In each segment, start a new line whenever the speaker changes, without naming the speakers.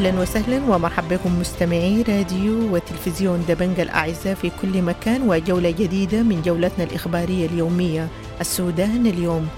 أهلا وسهلا ومرحبا بكم مستمعي راديو وتلفزيون دبنجة الأعزاء في كل مكان، وجولة جديدة من جولتنا الإخبارية اليومية السودان اليوم.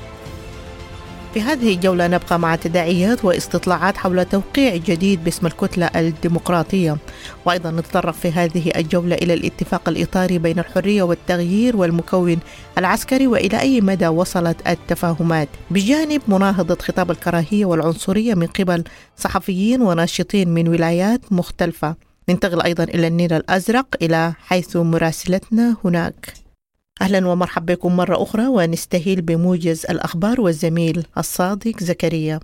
في هذه الجولة نبقى مع تداعيات واستطلاعات حول توقيع جديد باسم الكتلة الديمقراطية، وأيضا نتطرق في هذه الجولة إلى الاتفاق الإطاري بين الحرية والتغيير والمكون العسكري وإلى أي مدى وصلت التفاهمات، بجانب مناهضة خطاب الكراهية والعنصرية من قبل صحفيين وناشطين من ولايات مختلفة. ننتقل أيضا إلى النيل الأزرق إلى حيث مراسلتنا هناك. أهلا ومرحبا بكم مرة أخرى، ونستهل بموجز الأخبار والزميل الصادق زكريا.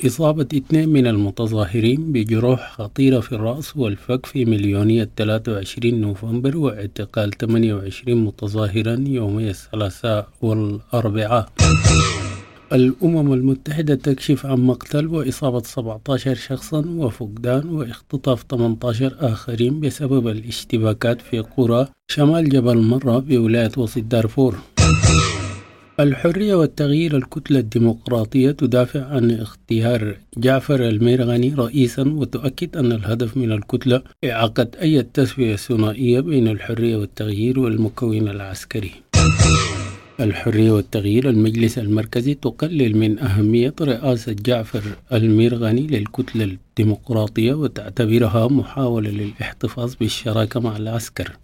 إصابة 2 من المتظاهرين بجروح خطيرة في الرأس والفك في مليونية 23 نوفمبر، واعتقال 28 متظاهرا يومي الثلاثاء والأربعاء. الأمم المتحدة تكشف عن مقتل وإصابة 17 شخصا وفقدان واختطاف 18 آخرين بسبب الاشتباكات في قرى شمال جبل مرة بولاية وسط دارفور. الحرية والتغيير الكتلة الديمقراطية تدافع عن اختيار جعفر الميرغني رئيسا، وتؤكد أن الهدف من الكتلة إعاقة أي تسوية ثنائية بين الحرية والتغيير والمكون العسكري. الحرية والتغيير المجلس المركزي تقلل من أهمية رئاسة جعفر الميرغني للكتلة الديمقراطية وتعتبرها محاولة للاحتفاظ بالشراكة مع العسكر.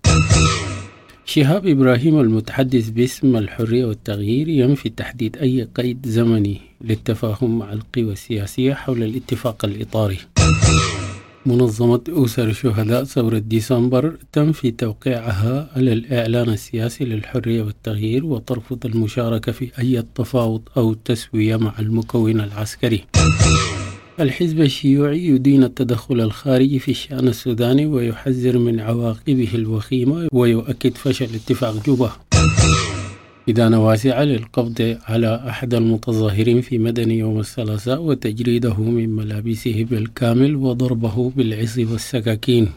شهاب إبراهيم المتحدث باسم الحرية والتغيير ينفي تحديد أي قيد زمني للتفاهم مع القوى السياسية حول الاتفاق الإطاري. منظمة أسر شهداء ثورة ديسمبر تنفي توقيعها على الإعلان السياسي للحرية والتغيير وترفض المشاركة في أي تفاوض أو تسوية مع المكون العسكري. الحزب الشيوعي يدين التدخل الخارجي في الشأن السوداني ويحذر من عواقبه الوخيمة ويؤكد فشل اتفاق جوبا. إدانة واسعة للقبض على أحد المتظاهرين في مدني يوم الثلاثاء وتجريده من ملابسه بالكامل وضربه بالعصي والسكاكين.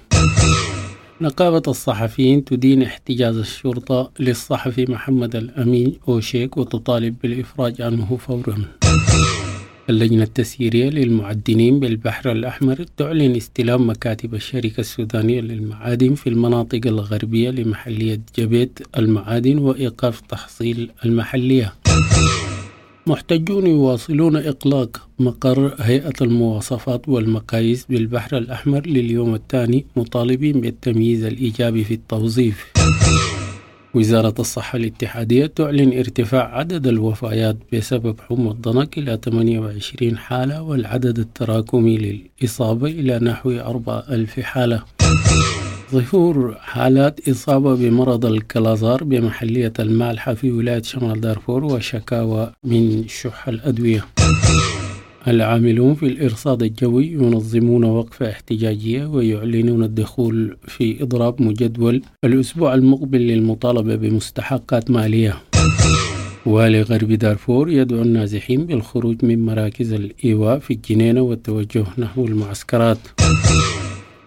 نقابة الصحفيين تدين احتجاز الشرطة للصحفي محمد الأمين أوشيك وتطالب بالإفراج عنه فورا. اللجنة التسييرية للمعدنين بالبحر الأحمر تعلن استلام مكاتب الشركة السودانية للمعادن في المناطق الغربية لمحلية جبيت المعادن وإيقاف تحصيل المحلية. محتجون يواصلون إغلاق مقر هيئة المواصفات والمقاييس بالبحر الأحمر لليوم الثاني مطالبين بالتمييز الإيجابي في التوظيف. وزارة الصحة الاتحادية تعلن ارتفاع عدد الوفيات بسبب حمى الضنك إلى 28 حالة والعدد التراكمي للإصابة إلى نحو 4000 حالة. ظهور حالات إصابة بمرض الكلازار بمحلية المالحة في ولاية شمال دارفور وشكاوى من شح الأدوية. العاملون في الإرصاد الجوي ينظمون وقفة احتجاجية ويعلنون الدخول في إضراب مجدول الأسبوع المقبل للمطالبة بمستحقات مالية. والي غرب دارفور يدعو النازحين بالخروج من مراكز الإيواء في الجنينة والتوجه نحو المعسكرات.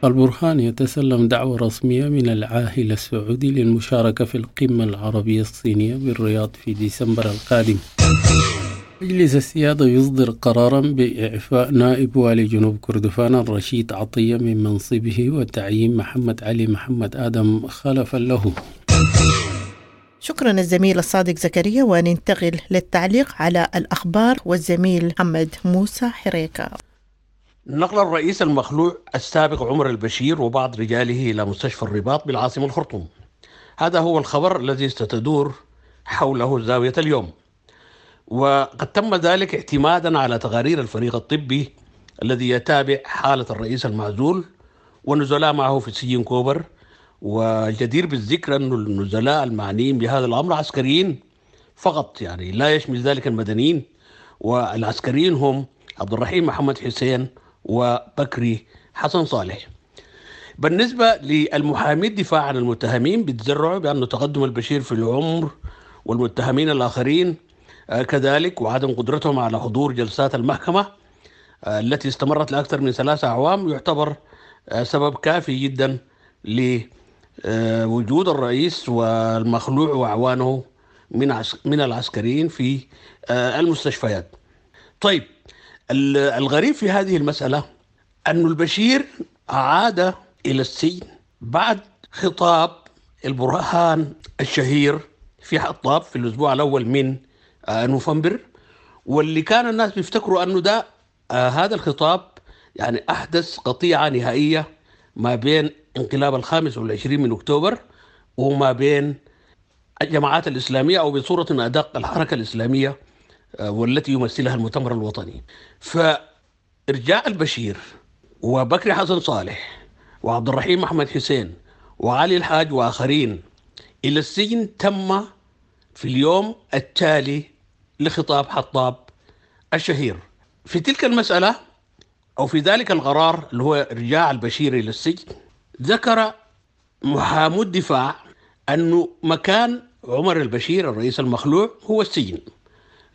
البرهان يتسلم دعوة رسمية من العاهل السعودي للمشاركة في القمة العربية الصينية بالرياض في ديسمبر القادم. مجلس السيادة يصدر قرارا بإعفاء نائب والي جنوب كردفان الرشيد عطية من منصبه وتعيين محمد علي محمد آدم خلفا له.
شكرا الزميل الصادق زكريا، وننتقل للتعليق على الأخبار والزميل محمد موسى حريكة.
نقل الرئيس المخلوع السابق عمر البشير وبعض رجاله إلى مستشفى الرباط بالعاصمة الخرطوم. هذا هو الخبر الذي ستدور حوله زاوية اليوم، وقد تم ذلك اعتمادا على تقارير الفريق الطبي الذي يتابع حالة الرئيس المعزول ونزلاء معه في سجن كوبر. والجدير بالذكر أن النزلاء المعنيين بهذا الأمر عسكريين فقط، يعني لا يشمل ذلك المدنيين، والعسكريين هم عبد الرحيم محمد حسين وبكري حسن صالح. بالنسبة للمحامي الدفاع عن المتهمين بيتزرعوا بأن تقدم البشير في العمر والمتهمين الآخرين كذلك وعدم قدرتهم على حضور جلسات المحكمة التي استمرت لأكثر من 3 أعوام يعتبر سبب كافي جدا لوجود الرئيس والمخلوع وأعوانه من العسكريين في المستشفيات. طيب، الغريب في هذه المسألة أن البشير عاد إلى السجن بعد خطاب البرهان الشهير في حطاب في الأسبوع الأول من نوفمبر، واللي كان الناس بيفتكروا أنه ده هذا الخطاب يعني أحدث قطيعة نهائية ما بين انقلاب 25 من أكتوبر وما بين الجماعات الإسلامية، أو بصورة أدق الحركة الإسلامية والتي يمثلها المؤتمر الوطني. فإرجاع البشير وبكري حسن صالح وعبد الرحيم أحمد حسين وعلي الحاج وآخرين إلى السجن تم في اليوم التالي لخطاب حطاب الشهير. في تلك المسألة أو في ذلك القرار اللي هو إرجاع البشير إلى السجن، ذكر محامو الدفاع أنه مكان عمر البشير الرئيس المخلوع هو السجن،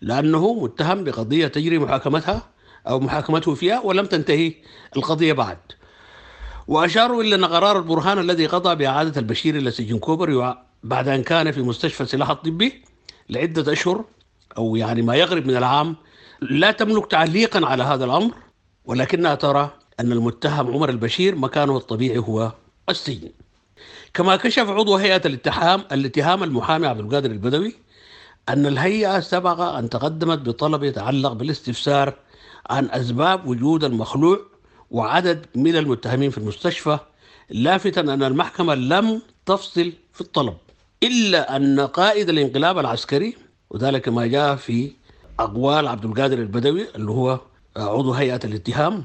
لأنه متهم بقضية تجري محاكمتها أو محاكمته فيها ولم تنتهي القضية بعد. وأشاروا إلى أن قرار البرهان الذي قضى بإعادة البشير إلى سجن كوبر بعد أن كان في مستشفى السلاح الطبي لعدة أشهر أو يعني ما يقرب من العام لا تملك تعليقا على هذا الأمر، ولكنها ترى أن المتهم عمر البشير مكانه الطبيعي هو السجن. كما كشف عضو هيئة الاتهام المحامي عبد القادر البدوي أن الهيئة سبق أن تقدمت بطلب يتعلق بالاستفسار عن أسباب وجود المخلوع وعدد من المتهمين في المستشفى، لافتا أن المحكمة لم تفصل في الطلب، إلا أن قائد الانقلاب العسكري، وذلك ما جاء في أقوال عبد القادر البدوي اللي هو عضو هيئة الاتهام،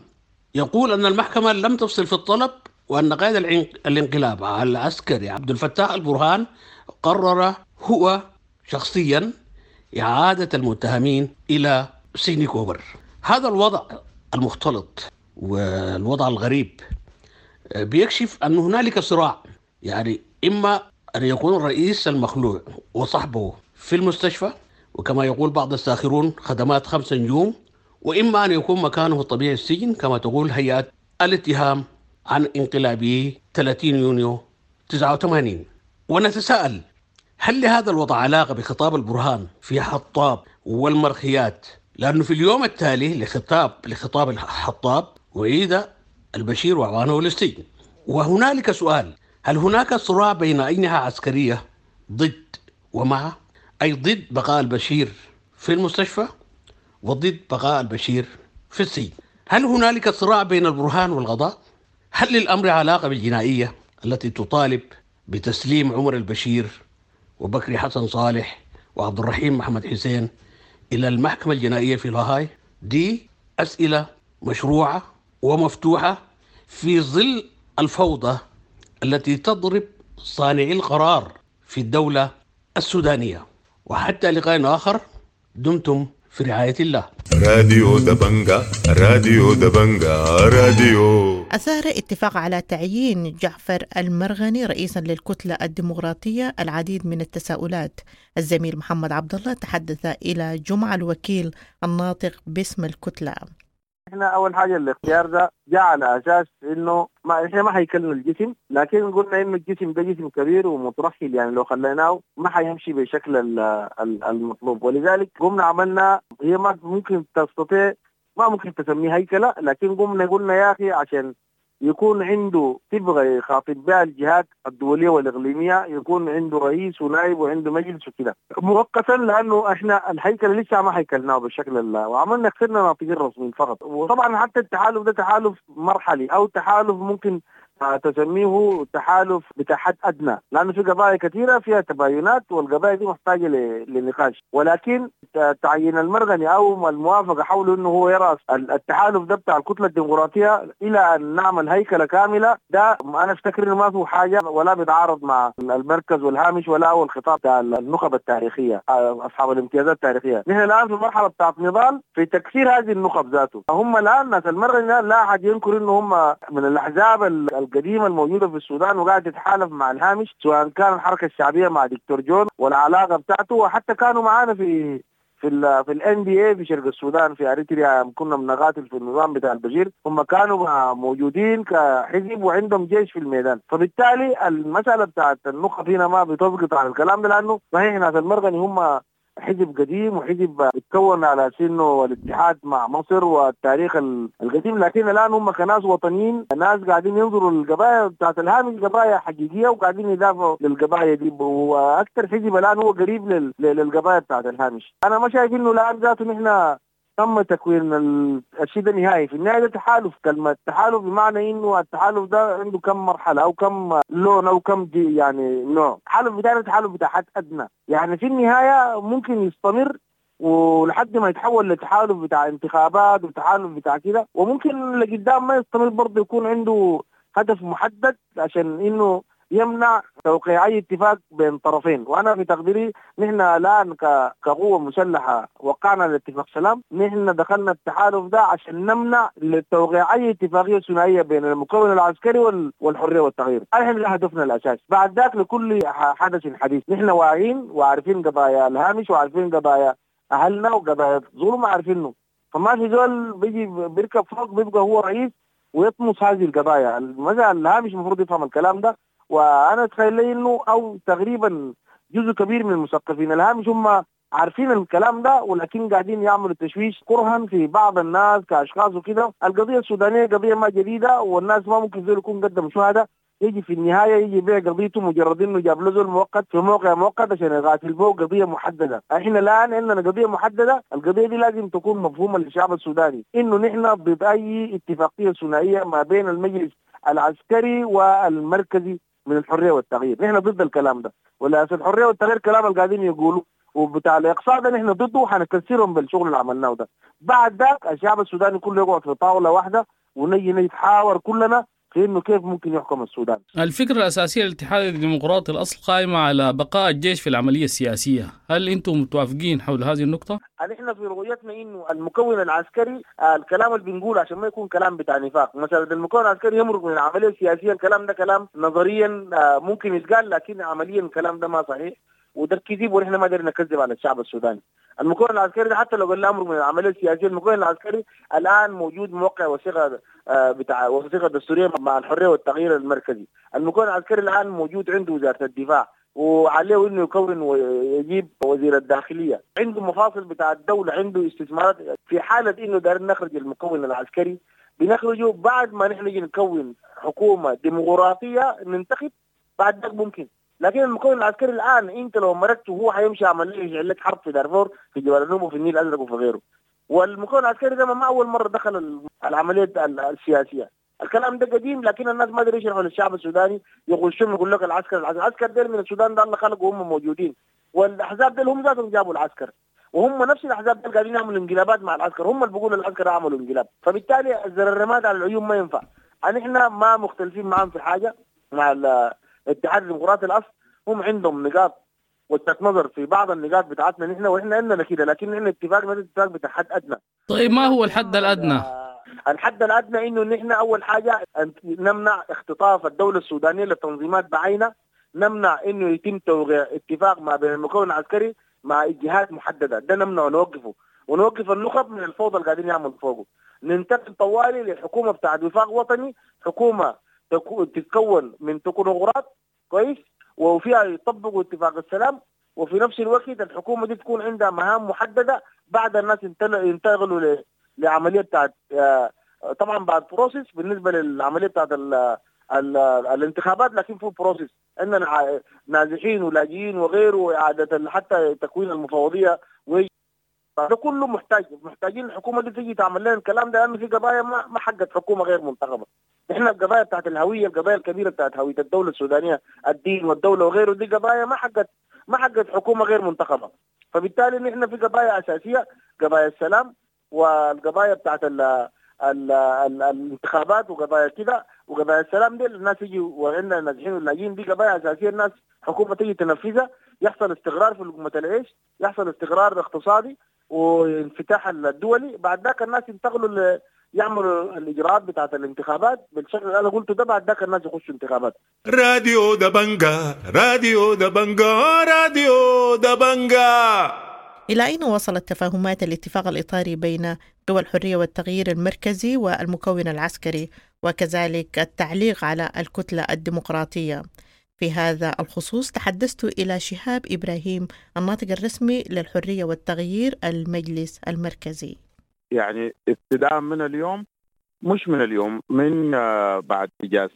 يقول أن المحكمة لم تفصل في الطلب، وأن قائد الانقلاب العسكري عبد الفتاح البرهان قرر هو شخصيا إعادة المتهمين إلى سجن كوبر. هذا الوضع المختلط والوضع الغريب بيكشف أن هنالك صراع، يعني إما أن يكون الرئيس المخلوع وصحبه في المستشفى وكما يقول بعض الساخرون خدمات 5 نجوم، وإما أن يكون مكانه الطبيعي السجن كما تقول هيئة الاتهام عن انقلابه 30 يونيو 89. ونتساءل هل لهذا الوضع علاقة بخطاب البرهان في حطاب والمرخيات؟ لأنه في اليوم التالي لخطاب الحطاب أعيد البشير وأعوانه للسجن. وهنالك سؤال، هل هناك صراع بين أجنحة عسكرية ضد ومع، أي ضد بقاء البشير في المستشفى وضد بقاء البشير في السجن؟ هل هنالك صراع بين البرهان والقضاء؟ هل للأمر علاقة بالجنائية التي تطالب بتسليم عمر البشير وبكري حسن صالح وعبد الرحيم محمد حسين إلى المحكمة الجنائية في لاهاي؟ دي أسئلة مشروعة ومفتوحة في ظل الفوضى التي تضرب صانعي القرار في الدولة السودانية. وحتى لقاء آخر، دمتم في رعاية الله.
راديو دبنجا، راديو دبنجا، راديو.
أثار اتفاق على تعيين جعفر المرغني رئيسا للكتلة الديمقراطية العديد من التساؤلات. الزميل محمد عبد الله تحدث إلى جمعة الوكيل الناطق باسم الكتلة.
احنا اول حاجه الاختيار ده جاء على اساس انه ما احنا ما هيكلنا الجسم، لكن قلنا انه الجسم ده جسم كبير ومترحل، يعني لو خليناه ما حيمشي بشكل المطلوب، ولذلك قمنا عملنا هي ما ممكن تستطيع، ما ممكن تسميه هيكله، لكن قمنا قلنا يا اخي عشان يكون عنده تبغى يخاطب بها الجهات الدولية والإقليمية، يكون عنده رئيس ونائب وعنده مجلس وكده مؤقتا، لأنه احنا الهيكل لسه ما هيكلناه بالشكل الله، وعملنا اخترنا ناطقين رسميين فقط. وطبعا حتى التحالف ده تحالف مرحلي أو تحالف ممكن تسميه تحالف بتاع حد أدنى، لأنه في قضايا كثيرة فيها تباينات والقضايا دي محتاجة لنقاش. ولكن تعيين المرغني أو الموافقة حوله أنه هو يرأس التحالف ده بتاع الكتلة الديمقراطية إلى أن نعمل هيكلة كاملة، ده أنا أفتكر إنه ما فيه حاجة ولا بيتعارض مع المركز والهامش ولا هو الخطاب بتاع النخب التاريخية أصحاب الامتيازات التاريخية. نحن الآن في مرحلة بتاعت نضال في تكسير هذه النخب ذاته. هم الآن ناس المرغني لا أحد ينكر إنه هم من الأحزاب القديمة الموجودة في السودان وقاعد تتحالف مع الهامش، سواء كان الحركة الشعبية مع دكتور جون والعلاقة بتاعته، وحتى كانوا معانا في في ال في ال NDA في شرق السودان في اريتريا، كنا بنقاتل في النظام بتاع البشير، هم كانوا موجودين كحزب وعندهم جيش في الميدان. فبالتالي المسألة بتاعت النخب هنا ما بتسقط على الكلام ده، لأنه صحيح ناس المرغني هم حزب قديم وحزب اتكون على سنه الاتحاد مع مصر والتاريخ القديم، لكن الان هم كناس وطنيين، ناس قاعدين ينظروا للقضايا بتاعت الهامش قضايا حقيقيه وقاعدين يدافعوا للقضايا دي، واكثر حزب الان هو قريب للقضايا بتاعت الهامش. انا ما شايف انه الان ذاته نحن تم تكوين الشيء ده نهائي. في النهاية ده تحالف، كلمة تحالف بمعنى انه التحالف ده عنده كم مرحلة او كم لون او كم دي يعني نوع. التحالف بتاعنا تحالف بتاع حد ادنى، يعني في النهاية ممكن يستمر ولحد ما يتحول لتحالف بتاع انتخابات وتحالف بتاع كده، وممكن لقدام ما يستمر برضه، يكون عنده هدف محدد عشان انه يمنع توقيع اي اتفاق بين طرفين. وانا في تقديري نحن الان كقوه مسلحه وقعنا الاتفاق سلام، نحن دخلنا التحالف ده عشان نمنع لتوقيع اي اتفاقيه ثنائيه بين المكون العسكري والحريه والتغيير. احنا ده هدفنا الاساسي. بعد ذاك لكل حدث حديث. نحن واعيين وعارفين قضايا الهامش وعارفين قضايا اهلنا وقضايا الظلم عارفينه، فما في زول بيجي بيركب فوق بيبقى هو رئيس ويطمس هذه القضايا. مثلا الهامش المفروض يفهم الكلام ده، وانا اتخيل لي انه او تقريبا جزء كبير من المثقفين الهامش هم عارفين الكلام ده، ولكن قاعدين يعملوا تشويش كرها في بعض الناس كاشخاص وكده. القضيه السودانيه قضيه ما جديده، والناس ما ممكن زول يكون قدم شهاده يجي في النهايه يجي يبيع قضيته مجرد انه جاب له زول مؤقت في موقع مؤقت عشان يقاتل به قضيه محدده. احنا الان عندنا قضيه محدده، القضيه دي لازم تكون مفهومه للشعب السوداني، انه نحن ضد اي اتفاقيه ثنائيه ما بين المجلس العسكري والمركزي من الحريه والتغيير. نحن ضد الكلام ده، ولا في الحريه والتغيير كلام اللي قاعدين يقولوا وبتاع الاقصاء ده نحن ضده، وحنكسرهم بالشغل اللي عملناه ده. بعد ذاك الشعب السوداني كله يقعد في طاوله واحده ونجي نتحاور كلنا في انه كيف ممكن يحكم السودان.
الفكره الاساسيه للاتحاد الديمقراطي الاصل قائمه على بقاء الجيش في العمليه السياسيه، هل انتم متوافقين حول هذه النقطه؟
نحن في رؤيتنا انه المكون العسكري، الكلام اللي بنقوله عشان ما يكون كلام بتاع نفاق، مثلا المكون العسكري يمرق من العمليه السياسيه، الكلام ده كلام نظريا ممكن يتقال، لكن عمليا الكلام ده ما صحيح وده كذب، ونحن ما قدرنا نكذب على الشعب السوداني. المكون العسكري ده حتى لو قلنا امر من العمليه السياسيه، المكون العسكري الان موجود موقع وثيقه بتاع وثيقه دستوريه مع الحريه والتغيير المركزي. المكون العسكري الان موجود عنده وزاره الدفاع، وعليه انه يكون ويجيب وزير الداخليه، عنده مفاصل بتاع الدوله، عنده استثمارات. في حاله انه دايرين نخرج المكون العسكري بنخرجه بعد ما نحن نجي نكون حكومه ديمقراطيه ننتخب، بعد ذاك ممكن. لكن المكون العسكري الان انت لو مرقته هو حيمشي عمل يشعل لك حرب في دارفور، في جبال النوبه، وفي النيل الازرق وفي غيره. والمكون العسكري ده ما اول مره دخل العمليه السياسيه، الكلام ده قديم، لكن الناس ما قدروا يشرحوا للشعب السوداني، يغشون يقول لك العسكر العسكر ده من السودان ده الله خلقه وهم موجودين، والاحزاب دول هم ذاتهم جابوا العسكر، وهم نفس الاحزاب دول قاعدين يعملوا انقلابات مع العسكر، هم اللي بيقولوا العسكر عملوا انقلاب. فبالتالي الزر الرماد على العيون ما ينفع. نحن ما مختلفين معاهم في حاجه مع الاتحاد الديمقراطي الاصل، هم عندهم نقاط وجهة نظر في بعض النقاط بتاعتنا نحن، واحنا عندنا كده، لكن نحن اتفاقنا اتفاق بتاع حد ادنى.
طيب ما هو الحد الادنى؟
الحد الادنى انه نحن اول حاجه نمنع اختطاف الدوله السودانيه للتنظيمات بعينه، نمنع انه يتم توقيع اتفاق ما بين المكون العسكري مع جهات محدده، ده نمنع ونوقفه، ونوقف النخب من الفوضى اللي قاعدين يعملوا فوقه. ننتقل طوالي للحكومه بتاعت وفاق وطني، حكومه تتكون من تكنوقراط كويس، وفيها يطبقوا اتفاق السلام، وفي نفس الوقت الحكومه دي تكون عندها مهام محدده. بعد الناس ينتقلوا لعمليه بتاعت طبعا بعد process بالنسبه للعمليه بتاعت الانتخابات، لكن في process عندنا نازحين ولاجئين وغيره، واعاده حتى تكوين المفوضيه، ده كله محتاجين الحكومه دي تيجي تعمل لنا الكلام ده، لانه في قضايا ما حقت حكومه غير منتخبه. احنا القضايا بتاعت الهويه، القضايا الكبيره بتاعت هويه الدوله السودانيه، الدين والدوله وغيره، دي قضايا ما حقت حكومه غير منتخبه. فبالتالي نحن في قضايا اساسيه، قضايا السلام والقضايا بتاعت ال ال ال الانتخابات وقضايا كده، وقضايا السلام دي الناس يجي وعندنا النازحين واللاجئين، دي قضايا اساسيه الناس حكومه تيجي تنفذها، يحصل استقرار في لقمه العيش، يحصل استقرار اقتصادي وانفتاح الدولي. بعد ذاك الناس ينتقلوا يعملوا الاجراءات بتاعت الانتخابات بالشكل اللي انا قلته ده، بعد ذاك الناس يخشوا انتخابات.
راديو دبنجا، راديو دبنجا، راديو دبنجا.
إلى أين وصلت تفاهمات الاتفاق الإطاري بين قوى الحرية والتغيير المركزي والمكون العسكري، وكذلك التعليق على الكتلة الديمقراطية؟ في هذا الخصوص تحدثت إلى شهاب إبراهيم الناطق الرسمي للحرية والتغيير المجلس المركزي.
يعني ابتداء من اليوم، مش من اليوم، من بعد إجازة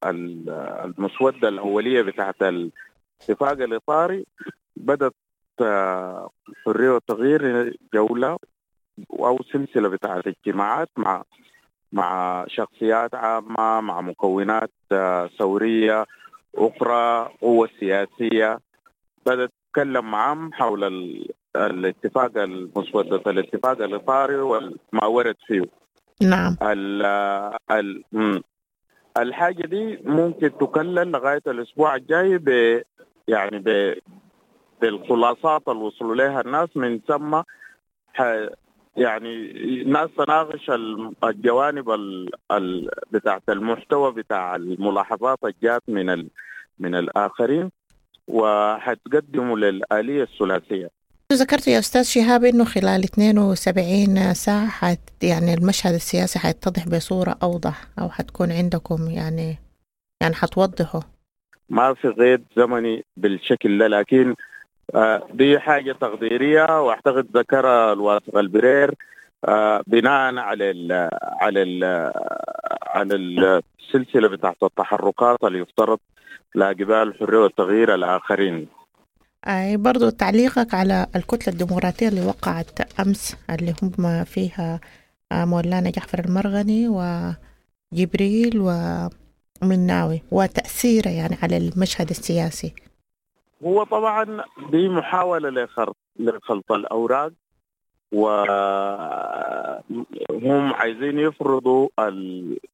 المسودة الأولية بتاعت الاتفاق الإطاري، بدأت الحرية والتغيير جولة أو سلسلة بتاعت اجتماعات مع شخصيات عامة، مع مكونات ثورية أخرى، قوة سياسية، بدأت تتكلم معهم حول الاتفاق المسودة الاتفاق الإطاري وما ورد فيه.
نعم.
الحاجة دي ممكن تكلل لغاية الأسبوع الجاي بالخلاصات اللي وصلوا لها الناس، من ثم يعني الناس تناقش الجوانب بتاعت المحتوى بتاع الملاحظات الجات من الآخرين، وحتقدموا للآلية الثلاثية.
ذكرت يا أستاذ شهاب إنه خلال 72 ساعة يعني المشهد السياسي حيتضح بصورة أوضح، أو حتكون عندكم يعني حتوضحوا.
ما في قيد زمني بالشكل ده، لكن دي حاجة تقديرية، وأعتقد ذكرها الواثق البرير بناء على ال على ال على السلسلة بتاعت التحركات اللي يفترض لاقبال الحرية والتغيير الآخرين.
أي برضو تعليقك على الكتلة الديمقراطية اللي وقعت أمس، اللي هم فيها مولانا جعفر المرغني وجبريل ومناوي، وتأثيره يعني على المشهد السياسي.
هو طبعا دي محاولة لخلط الأوراق، وهم عايزين يفرضوا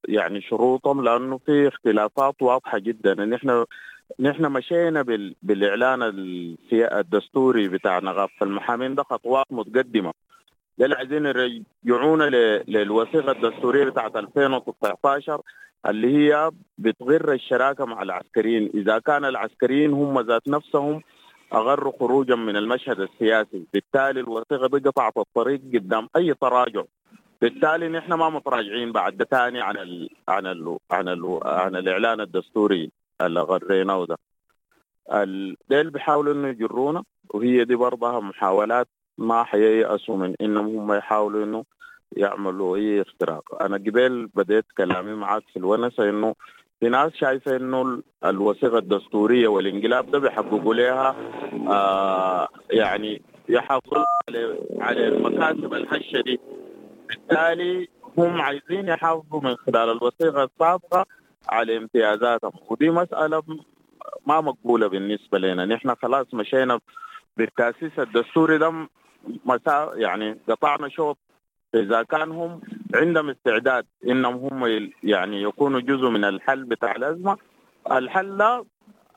يعني شروطهم، لأنه في اختلافات واضحة جدا. نحن مشينا بالإعلان الدستوري بتاع نغاف المحامين ده خطوات متقدمة، ده اللي عايزين يرجعونا للوثيقة الدستورية بتاعت 2019 اللي هي بتغر الشراكة مع العسكريين، إذا كان العسكريين هم ذات نفسهم أغروا خروجا من المشهد السياسي، بالتالي الوثيقة دي قطعت الطريق قدام أي تراجع، بالتالي نحن ما متراجعين بعد ثاني عن ال عن ال عن ال عن الإعلان الدستوري اللي غريناه ده. ديل بيحاولوا إنه يجرونا، وهي دي برضها محاولات ما حييأسوا من إنهم هم يحاولوا إنه يعملوا أي اختراق. أنا قبل بديت كلامي معاك في الونسة إنه في ناس شايفة إنه الوثيقة الدستورية والانقلاب ده بيحققوا لها يعني يحافظوا على المكاسب الهشة دي، بالتالي هم عايزين يحافظوا من خلال الوثيقة السابقة على امتيازاتهم، ودي مسألة ما مقبولة بالنسبة لنا. نحن خلاص مشينا بالتأسيس الدستوري ده يعني قطعنا شوط. إذا كان هم عندهم استعداد إنهم هم يعني يكونوا جزء من الحل بتاع الأزمة، الحل ده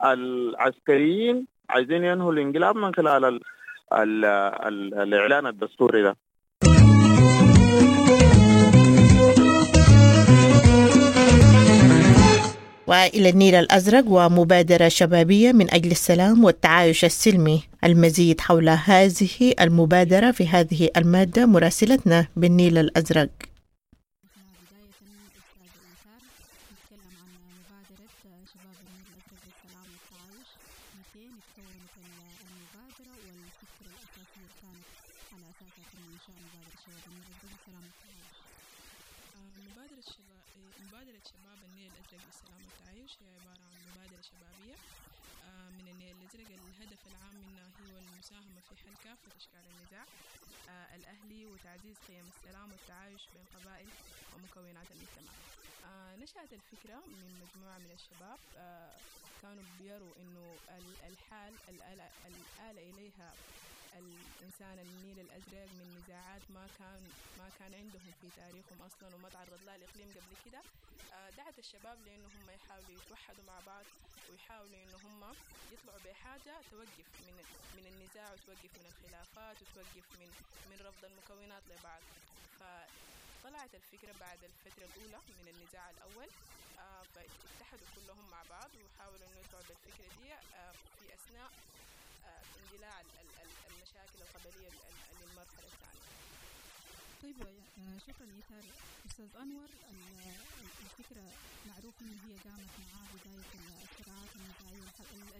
العسكريين عايزين ينهوا الانقلاب من خلال ال ال ال الإعلان الدستوري ده.
وإلى النيل الأزرق ومبادرة شبابية من أجل السلام والتعايش السلمي. المزيد حول هذه المبادرة في هذه المادة مراسلتنا بالنيل الأزرق.
مبادرة شباب النيل الأزرق للسلام والتعايش هي عبارة عن مبادرة شبابية من النيل الأزرق. الهدف العام منها هو المساهمة في حل كافة أشكال النزاع الأهلي وتعزيز قيم السلام والتعايش بين قبائل ومكونات المجتمع. نشأت الفكرة من مجموعة من الشباب كانوا بيروا إنه الحال الآلة إليها الإنسان النيل الأزرق من نزاعات ما كان عندهم في تاريخهم أصلا وما تعرض لها الإقليم قبل كده. دعت الشباب لأنه هم يحاولوا يتوحدوا مع بعض ويحاولوا إنه هم يطلعوا بحاجة توقف من النزاع وتوقف من الخلافات وتوقف من رفض المكونات لبعض. فطلعت الفكرة بعد الفترة الأولى من النزاع الأول، فاتحدوا كلهم مع بعض وحاولوا إنه يطلعوا بالفكرة دي في أثناء اندلاع المشاكل القبلية للمرحلة الثانية.
طيب، شكرا إيثار. أستاذ أنور، الفكرة معروف إنه هي قامت مع بداية الصراعات النزاعية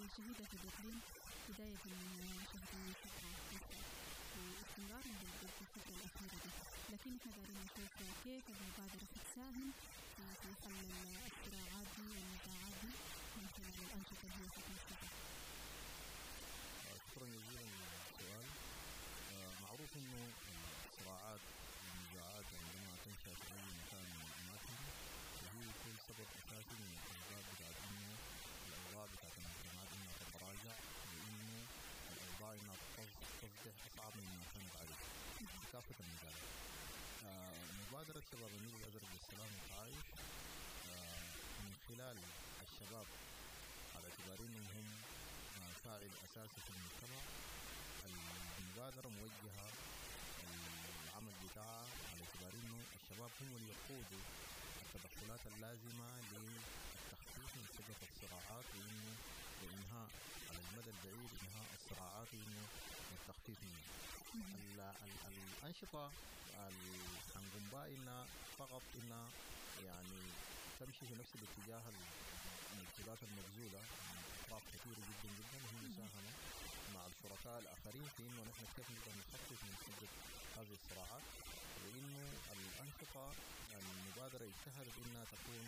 الشديدة في الإقليم بداية من شهر 7 واستمرارا في الفترة الأخيرة دي، لكن احنا دايرين نشوف كيف المبادرة حتساهم في حل الصراعات دي والنزاعات دي من خلال الأنشطة اللي هي حتنفذها.
شكرا جزيلا للسؤال. معروف انه الصراعات والنزاعات عندما تنشأ في اي مكان من الاماكن فهي يكون سبب اساسي من الاسباب بتاعت انه الاوضاع بتاعت المجتمعات انها تتراجع، وانه الاوضاع انها تصبح اصعب مما كانت عليه في كافة المجالات. مبادرة شباب النيل الأزرق للسلام والتعايش من خلال الشباب على اعتبار انهم هم فاعل اساسي في المجتمع، المبادرة موجهة العمل بتاعها على اعتبار انه الشباب هم اللي يقودوا التدخلات اللازمة للتخفيف من حدة الصراعات، وانه وانهاء على المدى البعيد انهاء الصراعات وانه التخفيف منها. الانشطة اللي حنقوم بها انها فقط انها يعني تمشي في نفس الاتجاه المجهودات المبذولة من أطراف كثيرة جدا جدا، وهي مساهمة مع الشركاء الآخرين في إنه نحن كيف نقدر نخفف من حدة هذه الصراعات، وإنه الأنشطة المبادرة اجتهدت إنها تكون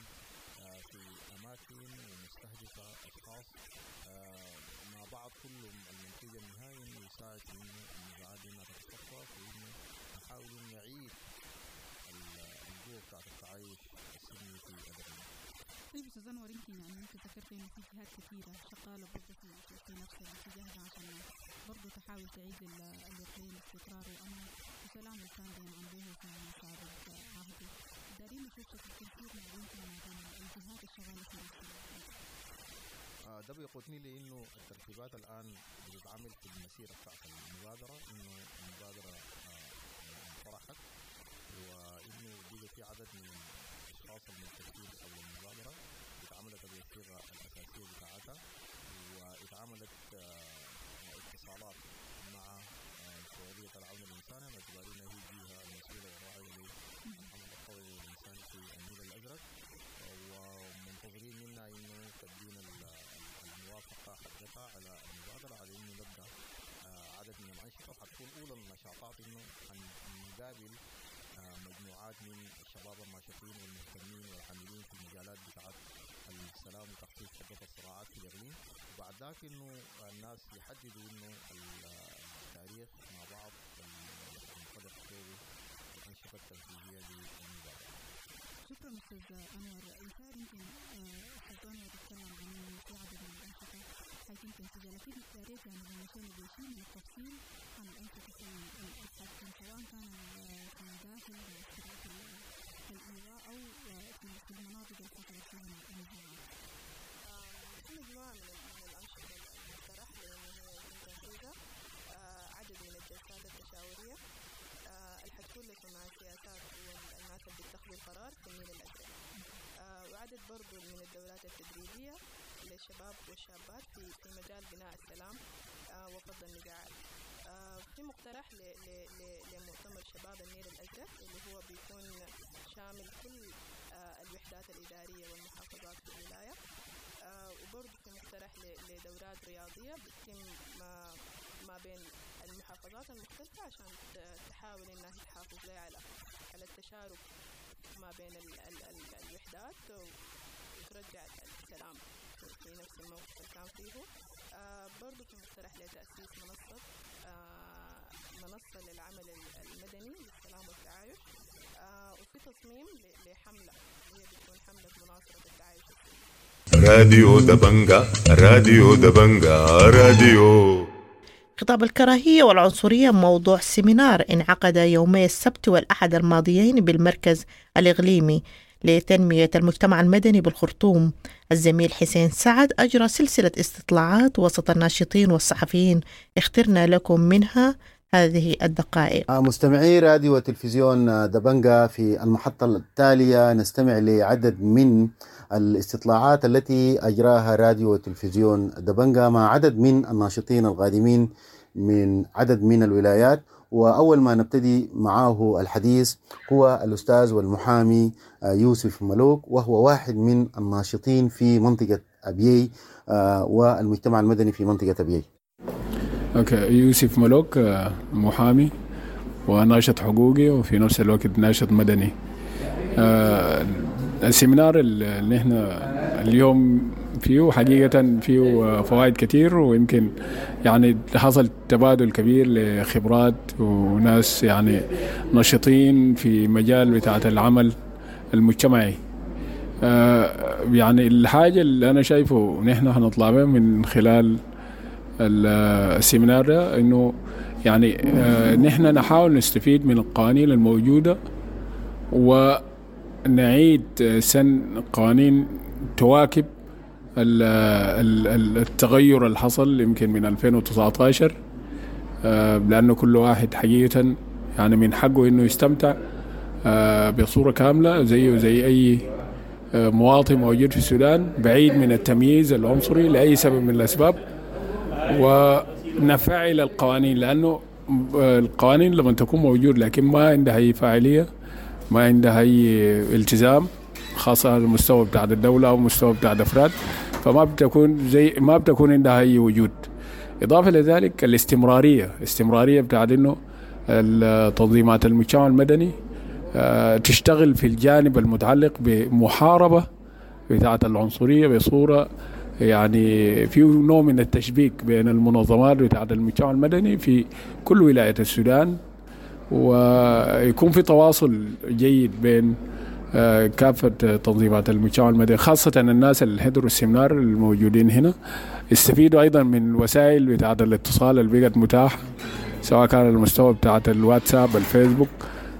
في أماكن ومستهدفة أشخاص مع بعض كلهم. المنتج النهائي إنه يساعد في إنه النزاعات دي إنها تتخفف، وإنه نحاول إنه نعيد القوة بتاعت التعايش السلمي في الإقليم.
طيب أستاذ أنور، يمكن يعني أنت ذكرت إنه في جهات كثيرة شغالة برضه في نفس الاتجاه ده عشان برضه تحاول تعيد للإقليم استقرار وأمن وسلام اللي كان بينعم به في سابق عهده. دارين نشوف شكل التنسيق ما بينكم وما بين الجهات الشغالة في نفس الاتجاه.
ده بيقودني لانه الترتيبات الان بتتعمل في المسيرة بتاعت المبادرة، انه المبادرة انطرحت، وانه بقى في عدد من الاشخاص الملتفين حول المبادرة، اتعملت الوثيقة الاساسية بتاعتها، واتعملت اتصالات مع مفوضيه العون الانساني باعتبار انها هي الجهة المسؤولة والراعيه للعمل الطوعي الانساني في النيل الازرق، ومنتظرين منا انه تدينا الموافقة حقتها على المبادرة على انه نبدا عدد من الانشطة. حتكون اولى النشاطات انه نقابل مجموعات من الشباب الناشطين والمهتمين والعاملين في المجالات بتاعت السلام وتخفيف حده الصراعات في الاقليم، وبعد ذاك انه الناس يحددوا انه التاريخ مع بعض ينطلق فيه الانشطة التنفيذية للمبادره.
شكرا أستاذ أنور. إيثار، يمكن أستاذ أنور يتكلم عن إنه في عدد من الأنشطة حيتم تنفيذها، لكن يا ريت يعني لو مشينا بشيء من التفصيل عن الأنشطة اللي حتكون سواء كان في داخل معسكرات الإيواء أو في المناطق اللي حصلت فيها النزاعات.
في مجموعة من الأنشطة المقترح لأنه هي يتم تنفيذها، عدد من الجلسات التشاورية اللي حتكون لصناع السياسات والناس اللي بيتخذوا القرار في النيل الأزرق، وعدد برضو من الدورات التدريبية للشباب والشابات في مجال بناء السلام وفض النزاعات. في مقترح لمؤتمر شباب النيل الأزرق اللي هو بيكون شامل كل الوحدات الإدارية والمحافظات في الولاية، وبرضو في مقترح لدورات رياضية بتتم ما بين المحافظات المختلفة عشان تحاول إنها تحافظ لها على التشارك ما بين ال ال ال الوحدات وترجع السلام في نفس الموقف اللي كان فيه. برضو في مقترح لتأسيس منصة للعمل المدني للسلام والتعايش، وفي تصميم لحملة هي بتكون حملة مناصرة التعايش السلمي.
راديو دبنجة، راديو دبنجة، راديو.
خطاب الكراهية والعنصرية موضوع سيمينار انعقد يومي السبت والأحد الماضيين بالمركز الإقليمي لتنمية المجتمع المدني بالخرطوم. الزميل حسين سعد أجرى سلسلة استطلاعات وسط الناشطين والصحفيين، اخترنا لكم منها هذه الدقائق.
مستمعي راديو وتلفزيون دبنجة، في المحطة التالية نستمع لعدد من الاستطلاعات التي أجراها راديو وتلفزيون دبنجة مع عدد من الناشطين القادمين من عدد من الولايات. وأول ما نبتدي معه الحديث هو الأستاذ والمحامي يوسف ملوك، وهو واحد من الناشطين في منطقة أبيي والمجتمع المدني في منطقة أبيي.
okay، يوسف ملوك، محامي وناشط حقوقي وفي نفس الوقت ناشط مدني. ال seminar اللي احنا اليوم فيه حقيقة فيه فوائد كتير، ويمكن يعني حصل تبادل كبير لخبرات وناس يعني نشطين في مجال بتاعة العمل المجتمعي. يعني الحاجة اللي أنا شايفه نحن هنطلع بها من خلال ال seminar ده إنه يعني نحن نحاول نستفيد من القوانين الموجودة ونعيد سن قوانين تواكب التغير اللي حصل يمكن من 2019، لأنه كل واحد حقيقة يعني من حقه إنه يستمتع بصورة كاملة زيه زي أي مواطن موجود في السودان، بعيد من التمييز العنصري لأي سبب من الأسباب، ونفعل القوانين، لأنه القوانين لما تكون موجود لكن ما عندها أي فاعلية، ما عندها أي التزام، خاصة على المستوى بتاع الدولة أو المستوى بتاع الأفراد، فما بتكون زي ما بتكون عندها أي وجود. إضافة لذلك الاستمرارية، استمرارية بتاع إنه التنظيمات المجتمع المدني تشتغل في الجانب المتعلق بمحاربة بتاعة العنصرية بصورة يعني في نوع من التشبيك بين المنظمات بتاعة المجتمع المدني في كل ولاية السودان، ويكون في تواصل جيد بين كافة تنظيمات المجتمع المدني، خاصة الناس اللي حضروا السيمينار الموجودين هنا استفيدوا أيضا من وسائل بتاعة الاتصال اللي بقت متاحة، سواء كان المستوى بتاعة الواتساب، الفيسبوك،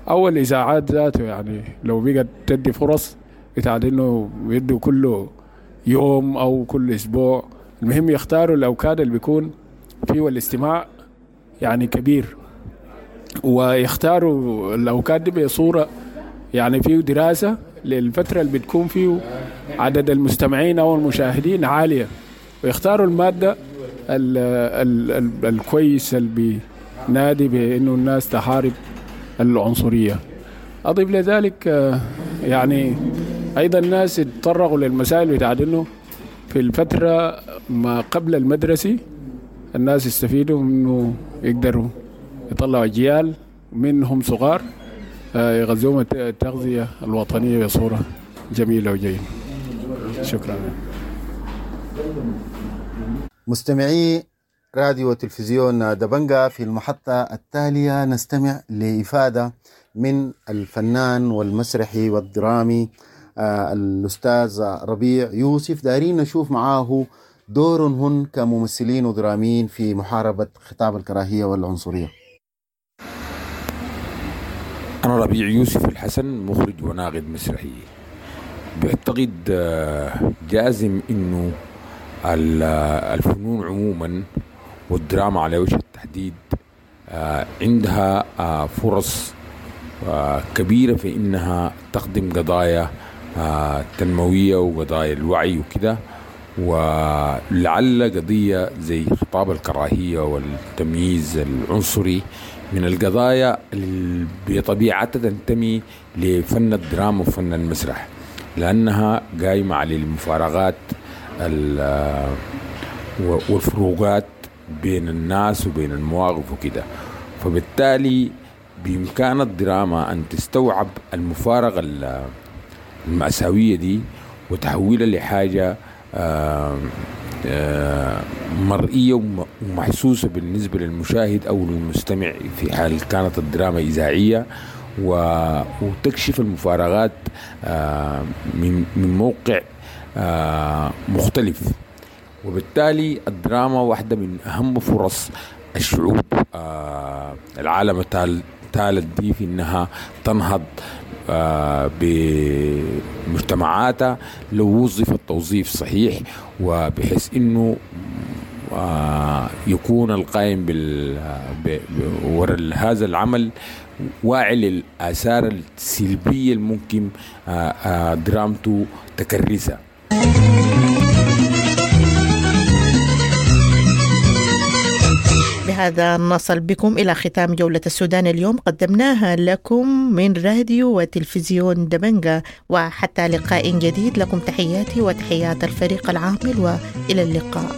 أو الإذاعات ذاته. يعني لو بقت تدي فرص بتاعة إنه يدوا كل يوم أو كل أسبوع، المهم يختاروا الأوقات اللي بيكون فيه الاستماع يعني كبير، ويختاروا الأوقات دي بصورة يعني فيه دراسة للفترة اللي بتكون فيه عدد المستمعين أو المشاهدين عالية، ويختاروا المادة ال ال ال الكويس اللي بينادي بأنه الناس تحارب العنصرية. أضيف لذلك يعني أيضا الناس يتطرقوا للمسائل بتاعت إنه في الفترة ما قبل المدرسي الناس يستفيدوا إنه يقدروا يطلعوا أجيال منهم صغار يغذوهم التغذية الوطنية بصورة جميلة وجيدة. شكرا.
مستمعي راديو وتلفزيون دبنجا، في المحطة التالية نستمع لإفادة من الفنان والمسرحي والدرامي الأستاذ ربيع يوسف. دارين نشوف معاه دورهن كممثلين ودراميين في محاربة خطاب الكراهية والعنصرية.
أنا ربيع يوسف الحسن، مخرج وناقد مسرحي. بعتقد جازم إنه الفنون عموما والدراما على وجه التحديد عندها فرص كبيرة في إنها تخدم قضايا تنموية وقضايا الوعي وكده، ولعل قضية زي خطاب الكراهية والتمييز العنصري من القضايا اللي بطبيعتها تنتمي لفن الدراما وفن المسرح، لأنها قايمة على المفارقات والفروقات بين الناس وبين المواقف وكده. فبالتالي بإمكان الدراما أن تستوعب المفارقة المأساوية دي وتحويلها لحاجة مرئية ومحسوسة بالنسبة للمشاهد أو للمستمع في حال كانت الدراما إذاعية، وتكشف المفارقات من موقع مختلف. وبالتالي الدراما واحدة من أهم فرص الشعوب العالم الثالث دي في أنها تنهض بمجتمعاتها لو وظف التوظيف صحيح، وبحيث أنه يكون القائم وراء هذا العمل واعي للآثار السلبية الممكن درامته تكرسها.
بهذا نصل بكم إلى ختام جولة السودان اليوم، قدمناها لكم من راديو وتلفزيون دبنجا، وحتى لقاء جديد لكم تحياتي وتحيات الفريق العامل، وإلى اللقاء.